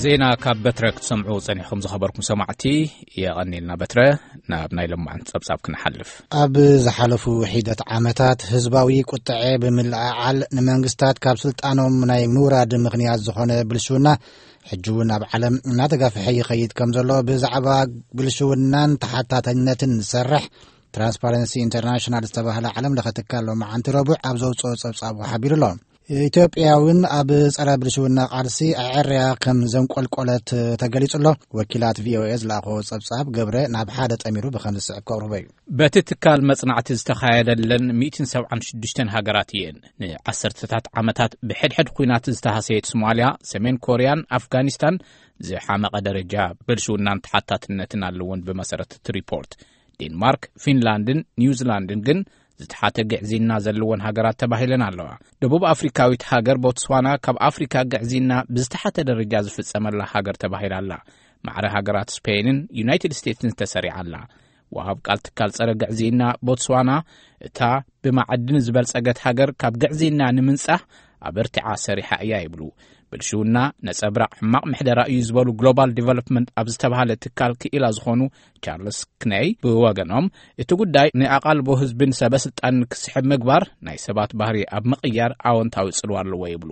ዜና ካብ በትረ ክትሰምዑ ጸኒሕኩም ዝኸበርኩም ሰማዕቲ፣ የቐኒልና በትረ። ናብ ናይ ለማዓንቲ ጸብጻብ ክንሓልፍ። ኣብ ዝሓለፉ ሒደት ዓመታት ህዝባዊ ቁጥዐ ብምልዕዓል ንመንግስታት ካብ ስልጣኖም ናይ ምውራድ ምኽንያት ዝኾነ ብልሽውና፣ ሕጂ እውን ኣብ ዓለም እናተጋፍሐ ይኸይድ ከም ዘሎ ብዛዕባ ብልሽውናን ተሓታተነትን ዝሰርሕ ትራንስፓረንሲ ኢንተርናሽናል ዝተባህለ ዓለም ለኸ ትካል ሎማዓንቲ ረቡዕ ኣብ ዘውፅኦ ጸብጻቡ ሓቢሩ ኣሎ። ኢትዮጵያ እውን ኣብ ጸረ ብልሽውና ቃልሲ ኣዐርያ ከም ዘንቆልቆለት ተገሊጹ ኣሎ። ወኪላት ቪኦኤ ዝለኣኸዎ ጸብጻብ ገብረ ናብ ሓደ ጠሚሩ ብኸም ዝስዕብ ከቕርቦ እዩ። በቲ ትካል መጽናዕቲ ዝተኻየደለን ሚእትን ሰብዓን ሽዱሽተን ሃገራት እየን። ንዓሰርተታት ዓመታት ብሕድሕድ ኲናት ዝተሃሰየት ሶማልያ፣ ሰሜን ኮርያን ኣፍጋኒስታን ዝሓመቐ ደረጃ ብልሽውናን ተሓታትነትን ኣለዎን ብመሰረት እቲ ሪፖርት። ዴንማርክ፣ ፊንላንድን ኒውዚላንድን ግን ዝተሓተ ግዕዝይና ዘለወን ሃገራት ተባሂለን ኣለዋ። ደቡብ ኣፍሪካዊት ሃገር ቦትስዋና ካብ ኣፍሪካ ግዕዝይና ብዝተሓተ ደረጃ ዝፍጸመላ ሃገር ተባሂላ ኣላ። ማዕረ ሃገራት ስፔንን ዩናይትድ ስቴትስን ተሰሪዓ ኣላ። ወሃብ ቃል ትካል ጸረ ግዕዝይና ቦትስዋና፣ እታ ብማዕድን ዝበልጸገት ሃገር ካብ ግዕዝይና ንምንጻህ ኣበርቲዓ ሰሪሓ እያ ይብሉ። ብልሽውና ነጸብራቕ ሕማቕ ምሕደራ እዩ ዝበሉ ግሎባል ዲቨሎፕመንት ኣብ ዝተባህለ ትካል ክኢላ ዝኾኑ ቻርልስ ክነይ ብወገኖም፣ እቲ ጉዳይ ንኣቓልቦ ህዝብን ሰበ ስልጣንን ክስሕብ ምግባር ናይ ሰባት ባህሪ ኣብ ምቕያር ኣወንታዊ ጽልዋ ኣለዎ ይብሉ።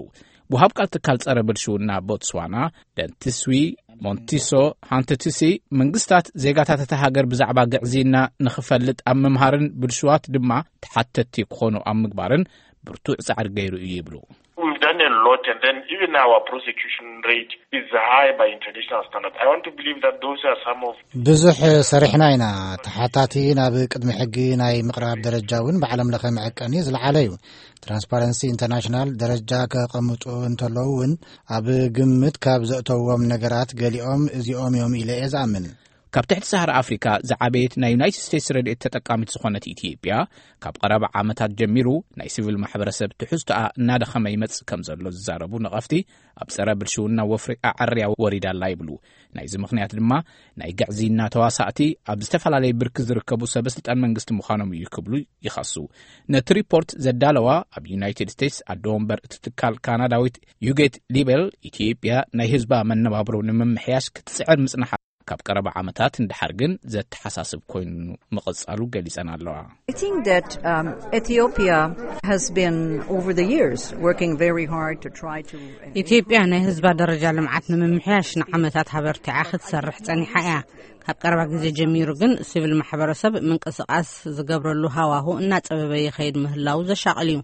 ወሃብ ቃል ትካል ጸረ ብልሽውና ቦትስዋና ደንትስዊ ሞንቲሶ ሃንተትሲ፣ መንግስታት ዜጋታት እታ ሃገር ብዛዕባ ግዕዝይና ንኽፈልጥ ኣብ ምምሃርን ብልሽዋት ድማ ተሓተትቲ ክኾኑ ኣብ ምግባርን ብርቱዕ ጻዕሪ ገይሩ እዩ ይብሉ። We've done a lot, and then even our prosecution rate is high by international standards. I want to believe that those are some of ብዙሕ ሰሪሕና ኢና። ተሓታቲ ናብ ቅድሚ ሕጊ ናይ ምቕራብ ደረጃ እውን ብዓለም ለኸ መዐቀኒ ዝለዓለ እዩ። ትራንስፓረንሲ ኢንተርናሽናል ደረጃ ከቐምጡ እንተለዉ እውን ኣብ ግምት ካብ ዘእተዎም ነገራት ገሊኦም እዚኦም እዮም ኢለ እየ ዝኣምን። ካብ ትሕቲ ሰሃራ ኣፍሪካ ዝዓበየት ናይ ዩናይትድ ስቴትስ ረድኤት ተጠቃሚት ዝኾነት ኢትዮጵያ፣ ካብ ቀረባ ዓመታት ጀሚሩ ናይ ሲቪል ማሕበረሰብ ትሕዝቶኣ እናደኸመ ይመጽእ ከም ዘሎ ዝዛረቡ ነቐፍቲ፣ ኣብ ጸረ ብልሽውና ወፍሪ ኣዐርያ ወሪዳ ኣላ ይብሉ። ናይዚ ምኽንያት ድማ ናይ ግዕዝይና ተዋሳእቲ ኣብ ዝተፈላለየ ብርኪ ዝርከቡ ሰበ ስልጣን መንግስቲ ምዃኖም እዩ ክብሉ ይኸሱ። ነቲ ሪፖርት ዘዳለዋ ኣብ ዩናይትድ ስቴትስ ኣዶ ወንበር እቲ ትካል ካናዳዊት ዩጌት ሊቤል፣ ኢትዮጵያ ናይ ህዝባ መነባብሮ ንምምሕያሽ ክትጽዕር ምጽናሓ ካብ ቀረባ ዓመታት ንደሓር ግን ዘተሓሳስብ ኮይኑ ምቕጻሉ ገሊጸን ኣለዋ። I think that um, Ethiopia has been over the years working very hard to try to ኢትዮጵያ ናይ ህዝባ ደረጃ ልምዓት ንምምሕያሽ ንዓመታት ሃበርቲዓ ክትሰርሕ ጸኒሓ እያ። ካብ ቀረባ ግዜ ጀሚሩ ግን ሲቪል ማሕበረሰብ ምንቅስቃስ ዝገብረሉ ሃዋሁ እናጸበበ ይኸይድ ምህላው ዘሻቕል እዩ።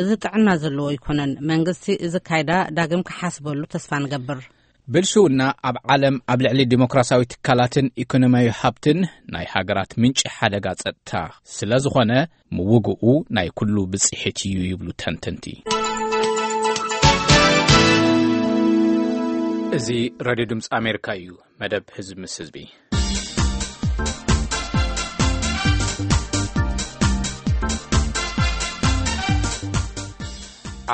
እዚ ጥዕና ዘለዎ ኣይኮነን። መንግስቲ እዚ ካይዳ ዳግም ክሓስበሉ ተስፋ ንገብር። ብልሽውና ኣብ ዓለም ኣብ ልዕሊ ዲሞክራሲያዊ ትካላትን ኢኮኖሚያዊ ሃብትን ናይ ሃገራት ምንጪ ሓደጋ ጸጥታ ስለ ዝኾነ፣ ምውግኡ ናይ ኩሉ ብጽሒት እዩ ይብሉ ተንተንቲ። እዚ ሬድዮ ድምፂ ኣሜሪካ እዩ። መደብ ህዝቢ ምስ ህዝቢ።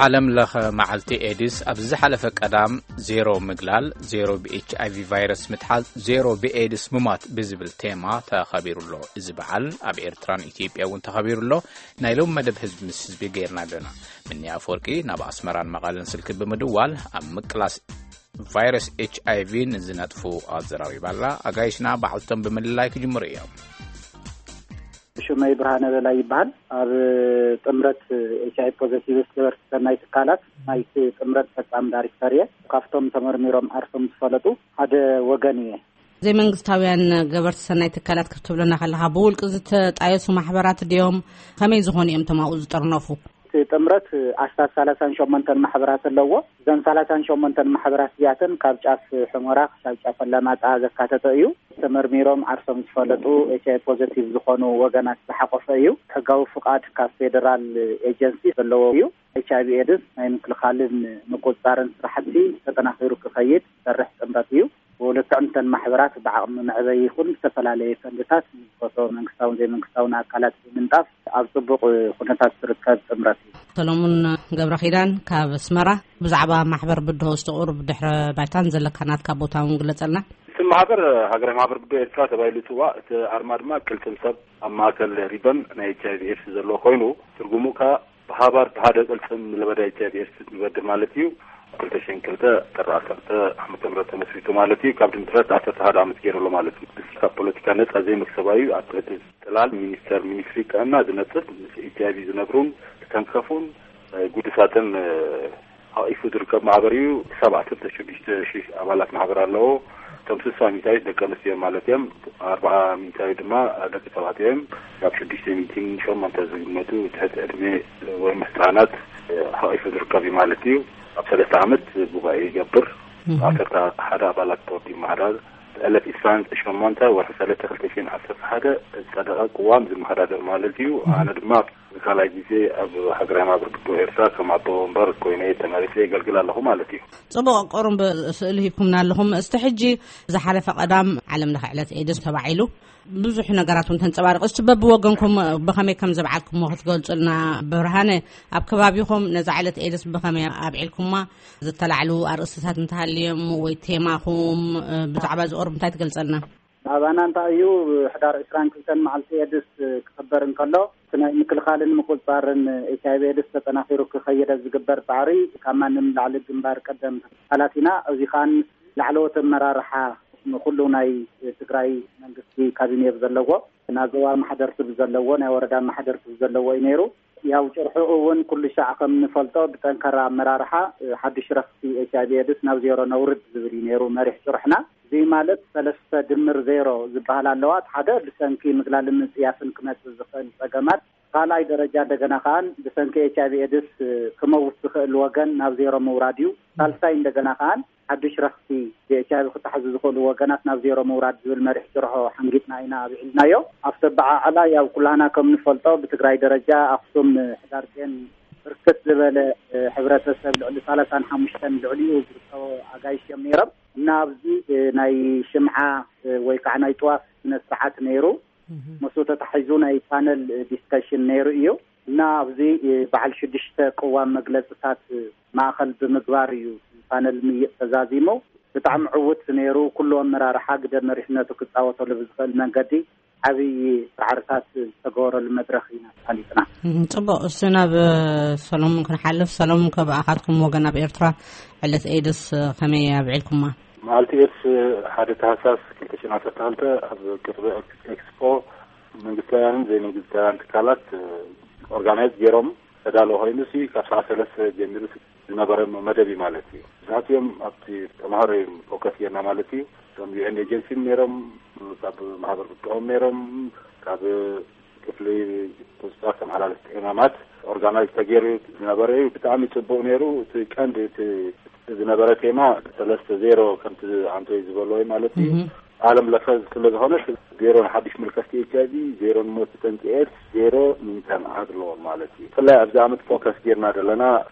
ዓለም ለኸ መዓልቲ ኤድስ ኣብዚ ዝሓለፈ ቀዳም ዜሮ ምግላል፣ ዜሮ ብኤች ኣይ ቪ ቫይረስ ምትሓዝ፣ ዜሮ ብኤድስ ምሟት ብዝብል ቴማ ተኸቢሩ ኣሎ። እዚ በዓል ኣብ ኤርትራን ኢትዮጵያ እውን ተኸቢሩ ኣሎ። ናይ ሎም መደብ ህዝቢ ምስ ህዝቢ ገይርና ኣለና። ምኒ ኣፈወርቂ ናብ ኣስመራን መቐለን ስልኪ ብምድዋል ኣብ ምቅላስ ቫይረስ ኤች ኣይ ቪ ንዝነጥፉ ኣዘራሪባ ኣላ። ኣጋይሽና በዓልቶም ብምልላይ ክጅምሩ እዮም። ሽመይ ብርሃነ በላይ ይበሃል። ኣብ ጥምረት ኤች ኣይ ፖዘቲቭ ገበርቲ ሰናይ ትካላት ናይቲ ጥምረት ፈጻሚ ዳይሬክተር እየ። ካብቶም ተመርሚሮም ዓርሶም ዝፈለጡ ሓደ ወገን እየ። ዘይመንግስታውያን ገበርቲ ሰናይ ትካላት ክትብለና ከለኻ፣ ብውልቂ ዝተጣየሱ ማሕበራት ድዮም? ከመይ ዝኾኑ እዮም እቶም ኣብኡ ዝጥርነፉ? እቲ ጥምረት ኣስታት ሰላሳን ሸሞንተን ማሕበራት ኣለዎ። እዘን ሰላሳን ሸሞንተን ማሕበራት እዚኣተን ካብ ጫፍ ሑመራ ክሳብ ጫፍ ኣላማጣ ዘካተተ እዩ። ተመርሚሮም ዓርሶም ዝፈለጡ ኤች ኣይ ፖዘቲቭ ዝኾኑ ወገናት ዝሓቆፈ እዩ። ሕጋዊ ፍቓድ ካብ ፌደራል ኤጀንሲ ዘለዎ እዩ። ኤች ኣይ ቪ ኤድስ ናይ ምክልኻልን ምቁፅፃርን ስራሕቲ ተጠናኺሩ ክኸይድ ዝሰርሕ ጥምረት እዩ። ብልክዕ እተን ማሕበራት ብዓቕሚ መዕበይ ይኹን ዝተፈላለየ ፈንድታት ዝፈትዎ መንግስታውን ዘይመንግስታውን ኣካላት ብምንጣፍ ኣብ ጽቡቕ ኩነታት ዝርከብ ጥምረት እዩ። ሰሎሙን ገብረ ኪዳን ካብ ኣስመራ፣ ብዛዕባ ማሕበር ብድሆ ዝተቑርብ ድሕረ ባይታን ዘለካ ናትካ ቦታ እውን ግለጸልና። እቲ ማሕበር ሃገራዊ ማሕበር ብድሆ ኤርትራ ተባሂሉ ይጽዋዕ። እቲ ኣርማ ድማ ቅልጽም ሰብ ኣብ ማእከል ሪበን ናይ ኤች ኣይ ቪ ኤድስ ዘለዎ ኮይኑ፣ ትርጉሙ ከኣ ሃባር ብሓደ ቅልጽም ለበዳ ኤች ኣይ ቪ ኤድስ ንበድህ ማለት እዩ። ክልተ ሽሕን ክልተ ጥሪ ዓሰርተ ዓመተ ምህረት ተመስሪቱ ማለት እዩ። ካብ ድምትረት ዓሰርተ ሓደ ዓመት ገይሩ ኣሎ ማለት እዩ። እዚ ካብ ፖለቲካ ነጻ ዘይመክሰባዩ ኣብ ትሕቲ ጽላል ሚኒስተር ሚኒስትሪ ጥዕና ዝነጥፍ ምስ ኤች ኣይ ቪ ዝነብሩን ዝተንከፉን፣ እ፣ ጉዱሳትን፣ እ፣ ሓቂፉ ዝርከብ ማሕበር እዩ። ክሳብ ዓሰርተ ሽዱሽተ ሽሕ ኣባላት ማሕበር ኣለዎ። እቶም ስሳ ሚእታዊት ደቂ ኣንስትዮ ማለት እዮም። ኣርብዓ ሚእታዊት ድማ ደቂ ተባዕትዮ እዮም። ካብ ሽዱሽተ ሚእትን ሸሞንተ ዝግመቱ ትሕቲ ዕድመ ወይ ምስ ህጻናት ሓቂፉ ዝርከብ እዩ ማለት እዩ። ኣብ ሰለስተ ዓመት ጉባኤ ይገብር። ዓሰርተ ሓደ ኣባላት ቦርድ ይመሓዳር። ዕለት ዕስራን ሸሞንተ ወርሒ ሰለስተ ክልተ ሽሕን ዓሰርተ ሓደ ዝጸደቐ ቅዋም ዝመሓዳደር ማለት እዩ። ኣነ ድማ ንካልኣይ ግዜ ኣብ ሃገራዊ ማሕበር ብድሆ ኤርትራ ከም ኣቦ ወንበር ኮይነ ተመሪጸ የገልግል ኣለኹ ማለት እዩ። ጽቡቕ፣ ቁሩብ ስእሊ ሂብኩምና ኣለኹም። እስቲ ሕጂ ዝሓለፈ ቀዳም ዓለም ለኸ ዕለት ኤድስ ተባዒሉ ብዙሕ ነገራት እውን ተንጸባሪቑ። እስቲ በብወገንኩም ብኸመይ ከም ዘብዓልኩምዎ ክትገልጹልና። ብርሃነ፣ ኣብ ከባቢኹም ነዛ ዕለት ኤድስ ብኸመይ ኣብዒልኩማ? ዝተላዕሉ ኣርእስትታት እንተሃልዮም ወይ ቴማኹም፣ እ፣ ብዛዕባ እዚ ቁሩብ እንታይ ትገልጸልና? ኣባና እንታይ እዩ፣ ሕዳር ዕስራን ክልተን መዓልቲ ኤድስ ክኽበር እንከሎ፣ እቲ ናይ ምክልኻልን ምቁጽጻርን ኤች ኣይ ቪ ኤድስ ተጠናኺሩ ክኸይድ ኣብ ዝግበር ጻዕሪ ካብ ማንም ላዕሊ ግንባር ቀደም ኣባላት ኢና። እዚ ኸኣ ላዕለዎት ኣመራርሓ ንኹሉ ናይ ትግራይ መንግስቲ ካቢኔ ብዘለዎ፣ ናይ ዞባ ማሕደርቲ ብዘለዎ፣ ናይ ወረዳ ማሕደርቲ ብዘለዎ እዩ ነይሩ። ያው ጭርሑ እውን ኩሉ ሻዕ ከም ንፈልጦ ብጠንካራ ኣመራርሓ፣ እ፣ ሓድሽ ረኽሲ ኤች ኣይ ቪ ኤድስ ናብ ዜሮ ነውርድ ዝብል እዩ ነይሩ መሪሕ ጭርሕና። እዚ ማለት ሰለስተ ድምር ዜሮ ዝበሃል ኣለዋ። እቲ ሓደ ብሰንኪ ምግላልን ምጽያፍን ክመጽእ ዝኽእል ጸገማት፣ ካልኣይ ደረጃ እንደገና ከኣን ብሰንኪ ኤች ኣይ ቪ ኤድስ፣ እ፣ ክመውት ዝኽእል ወገን ናብ ዜሮ ምውራድ እዩ። ሳልሳይ እንደገና ከኣን ሓድሽ ረኽሲ ብኤች ኣይ ቪ ክተሓዙ ዝኽእሉ ወገናት ናብ ዜሮ ምውራድ ዝብል መሪሕ ጭርሖ ሓንጊጥና ኢና ኣብዒልናዮ። ኣብቲ ኣበዓዕላ ያው ኩላህና ከም ንፈልጦ ብትግራይ ደረጃ ኣኽሱም ሕዳር ጽዮን ብርክት ዝበለ፣ እ፣ ሕብረተሰብ ልዕሊ ሰላሳን ሓሙሽተን ልዕሊኡ ዝርከቦ ኣጋይሽ እዮም ነይሮም። እና ኣብዚ፣ እ፣ ናይ ሽምዓ፣ እ፣ ወይ ከዓ ናይ ጥዋፍ ስነ ስርዓት ነይሩ። ምስኡ ተታሒዙ ናይ ፓነል ዲስከሽን ነይሩ እዩ። እና ኣብዚ በዓል ሽዱሽተ ቅዋም መግለጽታት ማእከል ብምግባር እዩ ፓነል ምይጥ ተዛዚሙ። ብጣዕሚ ዕዉት ነይሩ። ኩሉ ኣመራርሓ ግደ መሪሕነቱ ክጻወተሉ ብዝኽእል መንገዲ ዓብዪ ጻዕርታት ዝተገበረሉ መድረኽ ኢና ኣሳሊጥና። እም፣ ጽቡቕ። እሱ ናብ፣ እ፣ ሰሎሞን ክንሓልፍ። ሰሎሞን፣ ከብኣኻትኩም ወገን ኣብ ኤርትራ ዕለት ኤድስ፣ እ፣ ከመይ ኣብዒልኩማ? መዓልቲ ኤድስ ሓደ ታህሳስ ክልተ ሽሕን ዓሰርተ ክልተ ኣብ ቅርቢ ኤክስፖ መንግስታውያንን ዘይመንግስታውያን ትካላት፣ እ፣ ኦርጋናይዝ ገይሮም ተዳሎ ኮይኑ ሲ ካብ ሰዓት ሰለስተ ጀሚሩ ዝነበረ መደብ እዩ ማለት እዩ። ብዛዕቲኦም ኣብቲ ተምሃሮ እዮም ፎከስ ጌርና ማለት እዩ። እቶም ዩ ኤን ኤጀንሲ ነይሮም፣ ካብ ማሕበር ብድሆም ነይሮም፣ ካብ ክፍሊ ቁፅፃ ተመሓላለፍቲ ዕማማት ኦርጋናይዝ ተገይሩ ዝነበረ እዩ። ብጣዕሚ ፅቡቅ ነይሩ። እቲ ቀንዲ እቲ ዝነበረ ቴማ ሰለስተ ዜሮ ከምቲ ኣንቶይ ዝበሎ ማለት እዩ። ዓለም ለኸ ስለ ዝኾነ ዜሮ ንሓድሽ ምልከፍቲ ኤች ኣይ ቪ፣ ዜሮ ንሞት ብሰንኪ ኤድስ፣ ዜሮ ንኢንተርን ኣድልዎን ማለት እዩ። ብፍላይ ኣብዚ ዓመት ፎከስ ጌርና ዘለና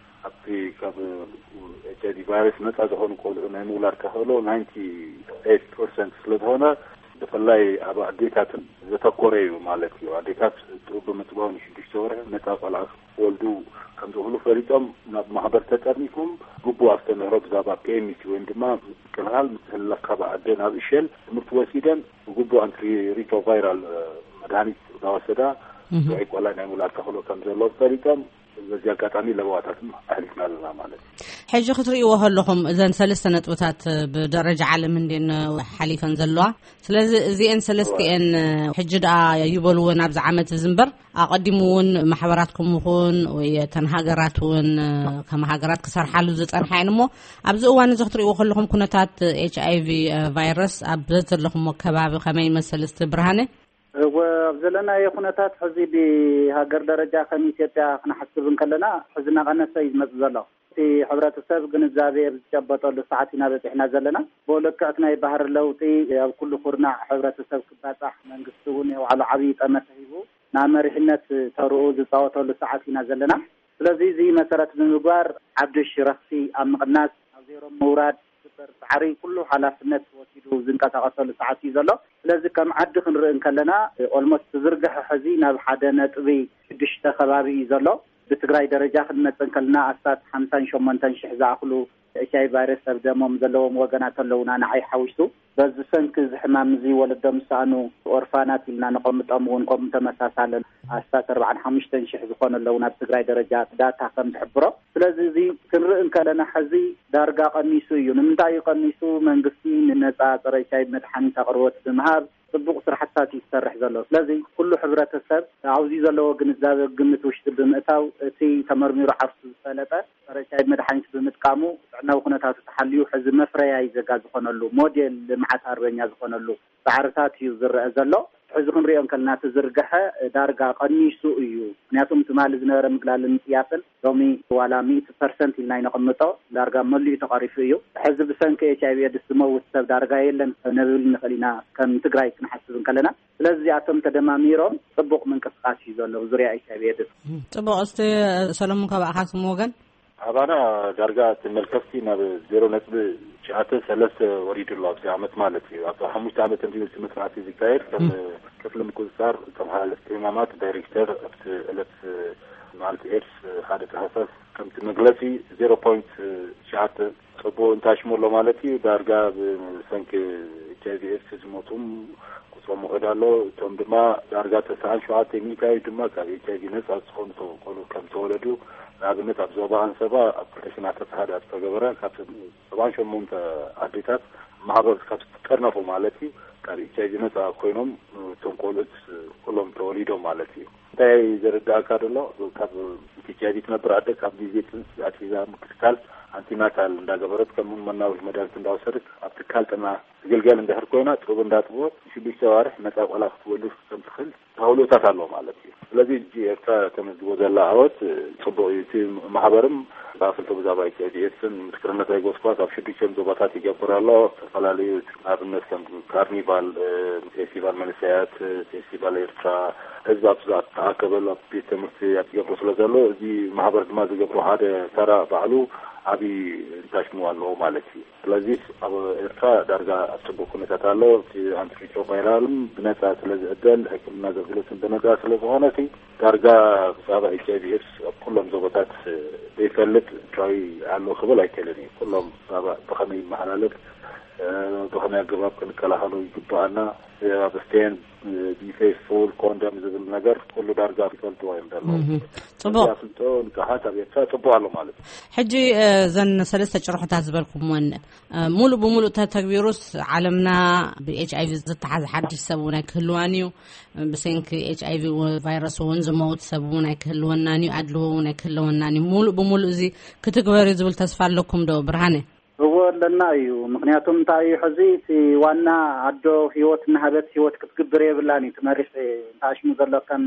ኣብቲ ካብ ኤች ኣይ ቪ ቫይረስ ነፃ ዝኾኑ ቆልዑ ናይ ምውላድ ተኽእሎ ናይንቲ ኤይት ፐርሰንት ስለ ዝኾነ ብፍላይ ኣብ ኣዴታት ዘተኮረ እዩ ማለት እዩ። ኣዴታት ጡብ ብምጥባው ንሽዱሽተ ወርሒ ነፃ ቆልዓ ክወልዱ ከም ዝኽእሉ ፈሊጦም ናብ ማሕበር ተጠርኒፎም ግቡእ ኣስተምህሮ ብዛዕባ ፒ ኤም ሲ ወይም ድማ ምክልኻል ምትሕልላፍ ካብ ኣደ ናብ እሸል ትምህርቲ ወሲደን ብግቡእ ኣንቲ ሪትሮቫይራል መድሃኒት እናወሰዳ ጥዑይ ቆልዓ ናይ ምውላድ ተኽእሎ ከም ዘለዎም ፈሊጦም በዚ ኣጋጣሚ ለበዋታትን ኣሕሊፍና ኣለና ማለት እዩ። ሕጂ ክትርእይዎ ከለኹም እዘን ሰለስተ ነጥብታት ብደረጃ ዓለም እንድየን ሓሊፈን ዘለዋ። ስለዚ እዚኤን ሰለስቲኤን ሕጂ ደኣ ይበልዎ ናብዚ ዓመት እዚ እምበር ኣቐዲሙ እውን ማሕበራትኩም ይኹን ወይ እተን ሃገራት እውን ከም ሃገራት ክሰርሓሉ ዝጸንሓ እየን። እሞ ኣብዚ እዋን እዚ ክትርእይዎ ከለኹም ኩነታት ኤች ኣይ ቪ ቫይረስ ኣብ ዘለኹሞ ከባቢ ከመይ ይመስል? እስቲ ብርሃነ። እወ፣ ኣብ ዘለናዮ ኩነታት ሕዚ ብሃገር ደረጃ ከም ኢትዮጵያ ክንሓስብ እንከለና ሕዚ እናቐነሰ እዩ ዝመጽእ ዘሎ። እቲ ሕብረተሰብ ግንዛቤ ኣብ ዝጨበጠሉ ሰዓት ኢና በጺሕና ዘለና። ብልክዕ እቲ ናይ ባህሪ ለውጢ ኣብ ኩሉ ኩርናዕ ሕብረተሰብ ክባጻሕ መንግስቲ እውን ናይ ባዕሉ ዓብዪ ጠመተ ሂቡ ናብ መሪሕነት ተርኡ ዝጻወተሉ ሰዓት ኢና ዘለና። ስለዚ እዚ መሰረት ብምግባር ሓድሽ ረኽሲ ኣብ ምቕናስ ኣብ ዜሮ ምውራድ ዝግበር ጻዕሪ ኩሉ ሓላፍነት ወሲዱ ዝንቀሳቐሰሉ ሰዓት እዩ ዘሎ። ስለዚ ከም ዓዲ ክንርኢ እንከለና ኦልሞስት ዝርግሐ ሕዚ ናብ ሓደ ነጥቢ ሽዱሽተ ከባቢ እዩ ዘሎ። ብትግራይ ደረጃ ክንመጽእ እንከለና ኣስታት ሓምሳን ሸሞንተን ሽሕ ዝኣኽሉ ኤች ኣይ ቪ ቫይረስ ኣብ ደሞም ዘለዎም ወገናት ኣለዉና ንዓይ ሓዊሱ። በዚ ሰንኪ እዚ ሕማም እዚ ወለዶም ዝሰኣኑ ኦርፋናት ኢልና ነቐምጦም እውን ከምኡ ተመሳሳለን ኣስታት ኣርባዓን ሓሙሽተን ሽሕ ዝኾኑ ኣለዉ፣ ናብ ትግራይ ደረጃ ዳታ ከም ዝሕብሮ። ስለዚ እዚ ክንርኢ እንከለና፣ ሕዚ ዳርጋ ቀኒሱ እዩ። ንምንታይ እዩ ቀኒሱ? መንግስቲ ንነፃ ፀረ ኤች ኣይ ቪ መድሓኒት ኣቕርቦት ብምሃብ ፅቡቕ ስራሕትታት እዩ ዝሰርሕ ዘሎ። ስለዚ ኩሉ ሕብረተሰብ ኣብዚ ዘለዎ ግንዛበ ግምት ውሽጢ ብምእታው፣ እቲ ተመርሚሩ ዓርሱ ዝፈለጠ ጸረ ኤች ኣይ ቪ መድሓኒት ብምጥቃሙ ጥዕናዊ ኩነታቱ ተሓልዩ፣ ሕዚ መፍረያይ ዜጋ ዝኾነሉ፣ ሞዴል ልምዓት ኣርበኛ ዝኾነሉ ጻዕርታት እዩ ዝረአ ዘሎ። ሕዚ ክንሪኦ እንከለና፣ እቲ ዝርግሐ ዳርጋ ቀኒሱ እዩ። ምክንያቱም ትማሊ ዝነበረ ምግላልን ምጽያፍን ሎሚ ዋላ ሚእቲ ፐርሰንት ኢልና ይነቐምጦ፣ ዳርጋ መሊኡ ተቐሪፉ እዩ። ሕዚ ብሰንኪ ኤች ኣይ ቪ ኤድስ ዝመውት ሰብ ዳርጋ የለን ነብል ንኽእል ኢና፣ ከም ትግራይ ክንሓስብ እንከለና። ስለዚ እዚኣቶም ተደማሚሮም ጽቡቕ ምንቅስቃስ እዩ ዘሎ ዙርያ ኤች ኣይ ቪ ኤድስ። ጽቡቕ። እስቲ ሰሎሞን፣ ካባእኻስ ወገን? ኣባና ዳርጋ እቲ መልከፍቲ ናብ ዜሮ ነጥቢ ትሽዓተ ሰለስተ ወሪዱ ኣሎ ኣብዚ ዓመት ማለት እዩ። ኣብ ሓሙሽተ ዓመት እንዲሁ እቲ መጽናዕቲ ዝካየድ ከም ክፍሊ ምቁጽጻር ከም ሓለፍቲ ሕማማት ዳይሬክተር ኣብቲ ዕለት መዓልቲ ኤድስ ሓደ ታህሳስ ከምቲ መግለጺ ዜሮ ፖይንት ትሽዓተ ጽቡቕ እንታሽሙ ኣሎ ማለት እዩ። ዳርጋ ብሰንኪ ኤች ኣይ ቪ ኤድስ ዝሞቱም ቁጽሮም ይኸይድ ኣሎ። እቶም ድማ ዳርጋ ተስዓን ሸውዓተ ሚእታዊ ድማ ካብ ኤች ኣይ ቪ ነጻ ዝኾኑ ቆልዑ ከም ተወለዱ፣ ንኣብነት ኣብ ዞባ ኣንሰባ ኣብ ክልተ ሽሕን ዓሰርተ ሓደ ኣብ ዝተገበረ ካብ ሰብዓን ሸሞንተ ኣዴታት ማሕበር ካብ ዝጠርነፉ ማለት እዩ፣ ካብ ኤች ኣይ ቪ ነጻ ኮይኖም እቶም ቆልዑት ኩሎም ተወሊዶም ማለት እዩ። እንታይ ዘረዳእካ ደሎ፣ ካብ ኤች ኣይ ቪ ትነብር ኣደ ካብ ግዜ ጽንሲ ኣትሒዛ ምክትታል ኣንቲናታል እንዳገበረት፣ ከምኡ መናውሒ መድሃኒት እንዳወሰደት ኣብ ትካል ጥዕና ትግልገል እንድሕር ኮይና፣ ጡብ እንዳጥበወት ሽዱሽተ ኣዋርሕ ነጻ ቆላ ክትወልድ ከም ትኽእል ተኽእሎታት ኣሎ ማለት እዩ። ስለዚ ሕጂ ኤርትራ ተመዝግቦ ዘላ ዓወት ጽቡቕ እዩ። እቲ ማሕበርም ብኣፍልጦ ብዛዕባ ኤች ኣይ ቪ ኤድስን ምስክርነት ኣይገስኳስ ኣብ ሽዱሽተ ዞባታት ይገብር ኣሎ። ዝተፈላለዩ ኣብነት ከም ካርኒቫል፣ እ፣ ፌስቲቫል መንእሰያት፣ እ፣ ፌስቲቫል ኤርትራ፣ ህዝቢ ኣብ ዝተኣከበሉ ኣብ ቤት ትምህርቲ ኣብ ዝገብሮ ስለ ዘሎ፣ እዚ ማሕበር ድማ ዝገብሮ ሓደ ተራ ባዕሉ ዓብዪ እንታሽሙ ኣለዎ ማለት እዩ። ስለዚ ኣብ ኤርትራ ዳርጋ ኣብ ጽቡቕ ኩነታት ኣሎ። እቲ ኣንቲሪትሮቫይራልን ብነጻ ስለ ዝዕደል፣ ሕክምና ኣገልግሎትን ብነጻ ስለ ዝኾነ፣ እቲ ዳርጋ ብዛዕባ ኤች ኣይ ቪ ኤድስ ኣብ ኩሎም ዞባታት ዘይፈልጥ ኤርትራዊ ኣሎ ክብል ኣይክእልን እዩ። ኩሎም ብዛዕባ ብኸመይ ይመሓላለፍ፣ እ፣ ብኸመይ ኣገባብ ክንከላኸሎ ይግባኣና፣ እ፣ ኣብ ስቴን፣ እ፣ ቢ ፌስፉል፣ ኮንደም ዝብል ነገር ኩሉ ዳርጋ ይፈልጥዎ እዮም ዘለዉ። እህ፣ ጽቡቕ። እዚ ኣፍልጦ ንቅሓት ኣብ ኤርትራ ጽቡቕ ኣሎ ማለት እዩ። ሕጂ፣ እ፣ እዘን ሰለስተ ጭርሖታት ዝበልኩምወን፣ እ፣ ሙሉእ ብሙሉእ ተተግቢሩስ ዓለምና ብ ኤች ኣይ ቪ ዝተሓዘ ሓድሽ ሰብ እውን ኣይክህልዋን እዩ። ብሰንኪ ኤች ኣይ ቪ ቫይረስ እውን ዝመውት ሰብ እውን ኣይክህልወናን እዩ፣ ኣድልዎ እውን ኣይክህልወናን እዩ። ሙሉእ ብሙሉእ እዚ ክትግበር እዩ ዝብል ተስፋ ኣለኩም ዶ ብርሃነ? እዎ ኣለና እዩ። ምክንያቱም እንታይ እዩ፣ ሕዚ እቲ ዋና ኣዶ ህይወት እናሃበት ህይወት ክትግብር የብላን እዩ ትመሪሕ እንተኣሽሙ ዘሎ ከም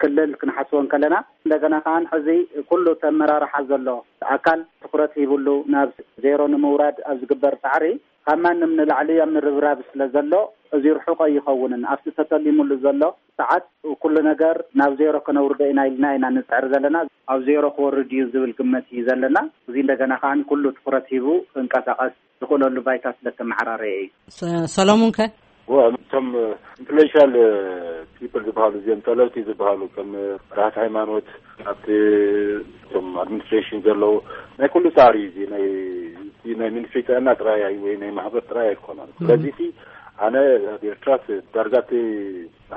ክልል ክንሓስቦ እንከለና። እንደገና ከዓን ሕዚ ኩሉ ተመራርሓ ዘሎ ኣካል ትኩረት ሂብሉ ናብ ዜሮ ንምውራድ ኣብ ዝግበር ጻዕሪ ካብ ማንም ንላዕሊ ኣብ ምርብራብ ስለ ዘሎ፣ እዚ ርሑቕ ኣይኸውንን። ኣብቲ ተተሊሙሉ ዘሎ ሰዓት ኩሉ ነገር ናብ ዜሮ ከነውርዶ ኢና ኢልና ኢና ንጽዕር ዘለና። ኣብ ዜሮ ክወርድ እዩ ዝብል ግመት እዩ ዘለና። እዚ እንደገና ከዓን ኩሉ ትኩረት ሂቡ ክንቀሳቐስ ዝኽእለሉ ባይታ ስለ ተመዓራረየ እዩ። ሰ-፣ ሰሎሙን ከ? ወ-፣ እቶም ኢንፍሉዌንሻል ፒፕል ዝበሃሉ፣ እዚኦም ጠለብቲ ዝበሃሉ፣ ከም መራሕቲ ሃይማኖት፣ ኣብቲ እቶም ኣድሚኒስትሬሽን ዘለዉ፣ ናይ ኩሉ ጻዕሪ እዩ። እዚ ናይ፣ እዚ ናይ ሚኒስትሪ ጥዕና ጥራይ ኣይ-፣ ወይ ናይ ማሕበር ጥራይ ኣይኮነን። ስለዚ እቲ ኣነ ኣብ ኤርትራ እቲ ዳርጋ እቲ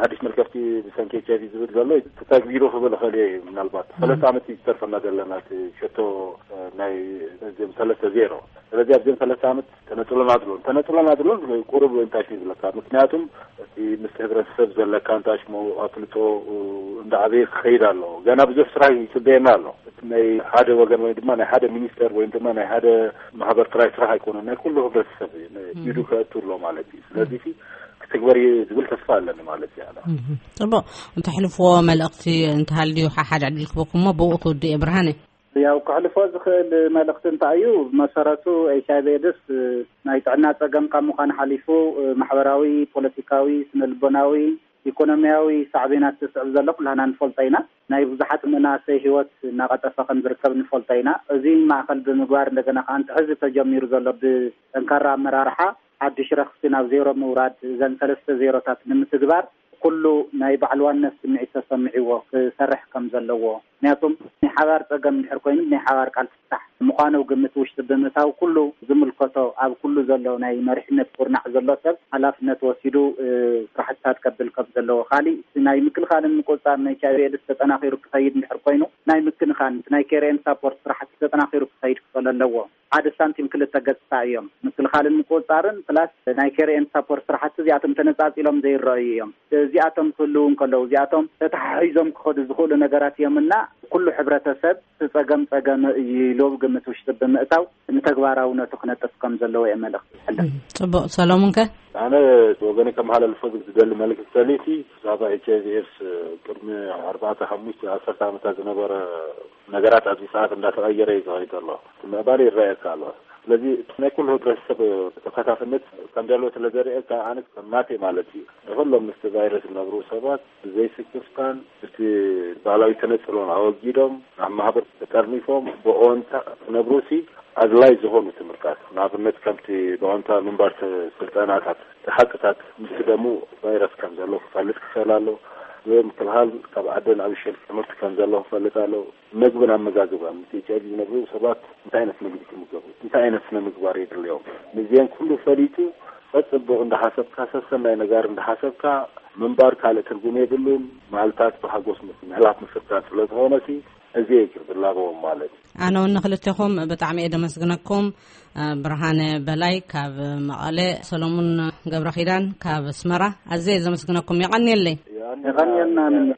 ሓድሽ መልከፍቲ ብሰንኪ ኤች ኣይ ቪ ዝብል ዘሎ ተተግቢሩ ክብል እኽእል እየ። ምናልባት ሰለስተ ዓመት እዩ ዝተርፈና ዘለና እቲ ሸቶ፣ እ፣ ናይ እዚኦም ሰለስተ ዜሮ። ስለዚ ኣብዚኦም ሰለስተ ዓመት ተነጽሎን ኣድሎን፣ ተነጽሎን ኣድሎን ቁሩብ እንታይ እዩ ዝብለካ? ምክንያቱም እቲ ምስ ሕብረተሰብ ዘለካ እንታይ ሽሞ ኣፍልጦ፣ እ፣ እንዳዓበየ ክኸይድ ኣለዎ። ገና ብዙሕ ስራሕ ይጽበየና ኣሎ። እቲ ናይ ሓደ ወገን ወይ ድማ ናይ ሓደ ሚኒስተር ወይ ድማ ናይ ሓደ ማሕበር ጥራይ ስራሕ ኣይኮነን፣ ናይ ኩሉ ሕብረተሰብ እዩ። ን-፣ እም። ኢዱ ከእቱ ኣሎ ማለት እዩ። ስለዚ እቲ ክትግበር እዩ ዝብል ተስፋ ኣለኒ ማለት እዩ። ኣነ እም። ጽቡቕ። እንተሕልፍዎ መልእኽቲ እንተሃልዩ ሓሓድ ዕድል ክበኩም እሞ ብኡ ክውድእ እየ። ብርሃነ? ያው ክሕልፎ ዝኽእል መልእኽቲ እንታይ እዩ? ብመሰረቱ ኤች ኣይ ቪ ኤድስ፣ እ፣ ናይ ጥዕና ጸገም ካብ ምዃን ሓሊፉ፣ እ፣ ማሕበራዊ፣ ፖለቲካዊ፣ ስነ ልቦናዊ፣ ኢኮኖሚያዊ ሳዕቤናት ዘስዕብ ዘሎ ኩላህና ንፈልጦ ኢና። ናይ ብዙሓት መናእሰይ ህይወት እናቐጠፈ ከም ዝርከብ ንፈልጦ ኢና። እዚ ማእከል ብምግባር እንደገና ከኣ እቲ ሕዚ ተጀሚሩ ዘሎ ብጠንካራ ኣመራርሓ ሓድሽ ረኽሲ ናብ ዜሮ ምውራድ እዘን ሰለስተ ዜሮታት ንምትግባር ኩሉ ናይ ባዕልዋነት ስምዒት ተሰሚዕዎ ክሰርሕ ከም ዘለዎ፣ ምክንያቱም ናይ ሓባር ጸገም እንድሕር ኮይኑ ናይ ሓባር ቃል ፍታሕ ምዃኑ ግምት ውሽጢ ብምእታው፣ ኩሉ ዝምልከቶ ኣብ ኩሉ ዘሎ ናይ መሪሕነት ኩርናዕ ዘሎ ሰብ ሓላፍነት ወሲዱ ስራሕትታት ከብል ከም ዘለዎ፣ ካሊእ ናይ ምክልኻልን ምቁጽጻር ናይ ኤች ኣይ ቪ ኤድስ ተጠናኺሩ ክኸይድ እንድሕር ኮይኑ ናይ ምክንኻን ናይ ኬር ኤንድ ሳፖርት ስራሕቲ ተጠናኺሩ ክኸይድ ክኽእል ኣለዎ። ሓደ ሳንቲም ክልተ ገጽታ እዮም። ምክልኻልን ምቁጽጻርን ፕላስ ናይ ኬር ኤንድ ሳፖርት ስራሕቲ እዚኣቶም ተነጻጺሎም ዘይረኣዩ እዮም። እዚኣቶም ክህልዉ እንከለዉ እዚኣቶም ተተሓሒዞም ክኸዱ ዝኽእሉ ነገራት እዮም እና ኩሉ ሕብረተሰብ እቲ ጸገም ጸገም እዩ ኢሉ ግምት ውሽጢ ብምእታው ንተግባራውነቱ ክነጥፍ ከም ዘለዎ እየ መልእኽቲ ዝሕልፍ። ጽቡቕ። ሰሎሙን ከ? ኣነ ወገነ ከመሓላልፎ ዝደሊ መልእኽቲ ሰሊቲ ብዛዕባ ኤች ኣይ ቪ ኤድስ ቅድሚ ኣርባዕተ ሓሙሽተ ዓሰርተ ዓመታት ዝነበረ ነገራት ኣብዚ ሰዓት እንዳተቐየረ እዩ ዝኸይድ ዘሎ። እቲ ምዕባለ ይረኣየካ ኣሎ። ስለዚ ናይ ኩሉ ህብረተሰብ ተሳታፍነት ከም ዘለዎ ስለ ዘርእየካ ኣነ ከም ናተይ ማለት እዩ። ንኩሎም ምስቲ ቫይረስ ዝነብሩ ሰባት ብዘይስክፍታን እቲ ባህላዊ ተነጽሎን ኣወጊዶም ናብ ማህበር ተጠርኒፎም ብኦንታ ክነብሩሲ ኣድላይ ዝኾኑ ትምህርታት ንኣብነት ከምቲ ብኦንታ ምንባር ስልጠናታት ሓቅታት ምስ ደሙ ቫይረስ ከም ዘሎ ክፈልጥ ክኽእል ኣሎ። ምክልኻል ካብ ዓደ ናብ ሸል ትምህርቲ ከም ዘሎ ክፈልጥ ኣሎ። መግብን ኣመጋግባን ምስ ኤች ኣይ ቪ ዝነብሩ ሰባት እንታይ ዓይነት ምግቢ ክምገቡ፣ እንታይ ዓይነት ስነ ምግባር የድልዮም፣ ንዚአን ኩሉ ፈሊጡ ጸጽቡቕ እንዳሓሰብካ ሰሰናይ ነጋር እንዳሓሰብካ ምንባር ካልእ ትርጉም የብሉን። መዓልታት ብሓጎስ ምስ ምሕላፍ ምፍታን ስለ ዝኾነሲ እዚ እዩ ዝላበዎም ማለት እዩ። ኣነ እውን ንክልቴኹም ብጣዕሚ እየ ደመስግነኩም። ብርሃነ በላይ ካብ መቐለ፣ ሰሎሙን ገብረ ኪዳን ካብ ኣስመራ ኣዝየ ዘመስግነኩም። የቐንየለይ። የቐንየልና።